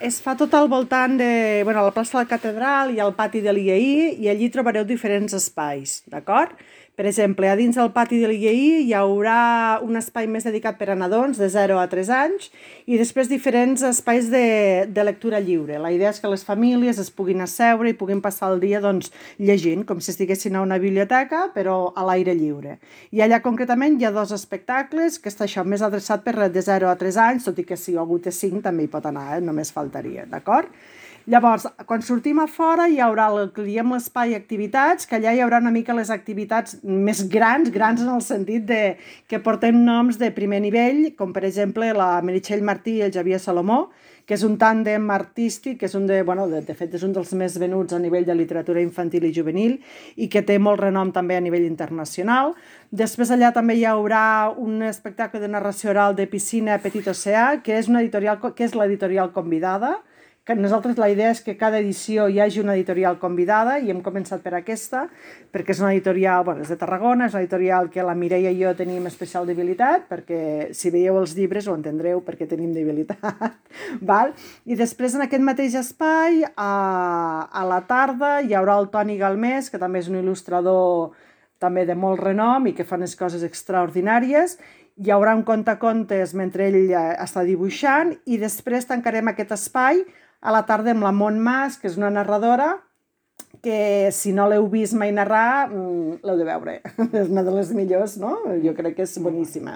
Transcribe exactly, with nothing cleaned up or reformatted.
Es fa tot al voltant de bueno, la plaça de la Catedral i el pati de l'I A I, i allí trobareu diferents espais, d'acord? Per exemple, a dins del pati de l'I A I hi haurà un espai més dedicat per a nadons de zero a tres anys i després diferents espais de, de lectura lliure. La idea és que les famílies es puguin asseure i puguin passar el dia doncs, llegint, com si estiguessin a una biblioteca, però a l'aire lliure. I allà concretament hi ha dos espectacles, que està això més adreçat per de zero a tres anys, tot i que si algú té cinc també hi pot anar, eh? Només faltaria, d'acord? Llavors, quan sortim a fora hi haurà el que diem l'espai activitats, que allà hi haurà una mica les activitats més grans, grans en el sentit de que portem noms de primer nivell, com per exemple la Meritxell Martí i el Xavier Salomó, que és un tàndem artístic, que és un de, bueno, de, de fet és un dels més venuts a nivell de literatura infantil i juvenil i que té molt renom també a nivell internacional. Després allà també hi haurà un espectacle de narració oral de Piscina Petit Oceà, que és, una editorial, que és l'editorial convidada, que nosaltres la idea és que cada edició hi hagi una editorial convidada i hem començat per aquesta, perquè és una editorial, bueno, és de Tarragona, és una editorial que la Mireia i jo tenim especial debilitat, perquè si veieu els llibres ho entendreu perquè tenim debilitat. Val? I després en aquest mateix espai, a, a la tarda, hi haurà el Toni Galmés, que també és un il·lustrador també de molt renom i que fa unes coses extraordinàries. Hi haurà un contacontes mentre ell està dibuixant i després tancarem aquest espai a la tarda amb la Mont Mas, que és una narradora que si no l'heu vist mai narrar, l'heu de veure. És una de les millors, no? Jo crec que és boníssima.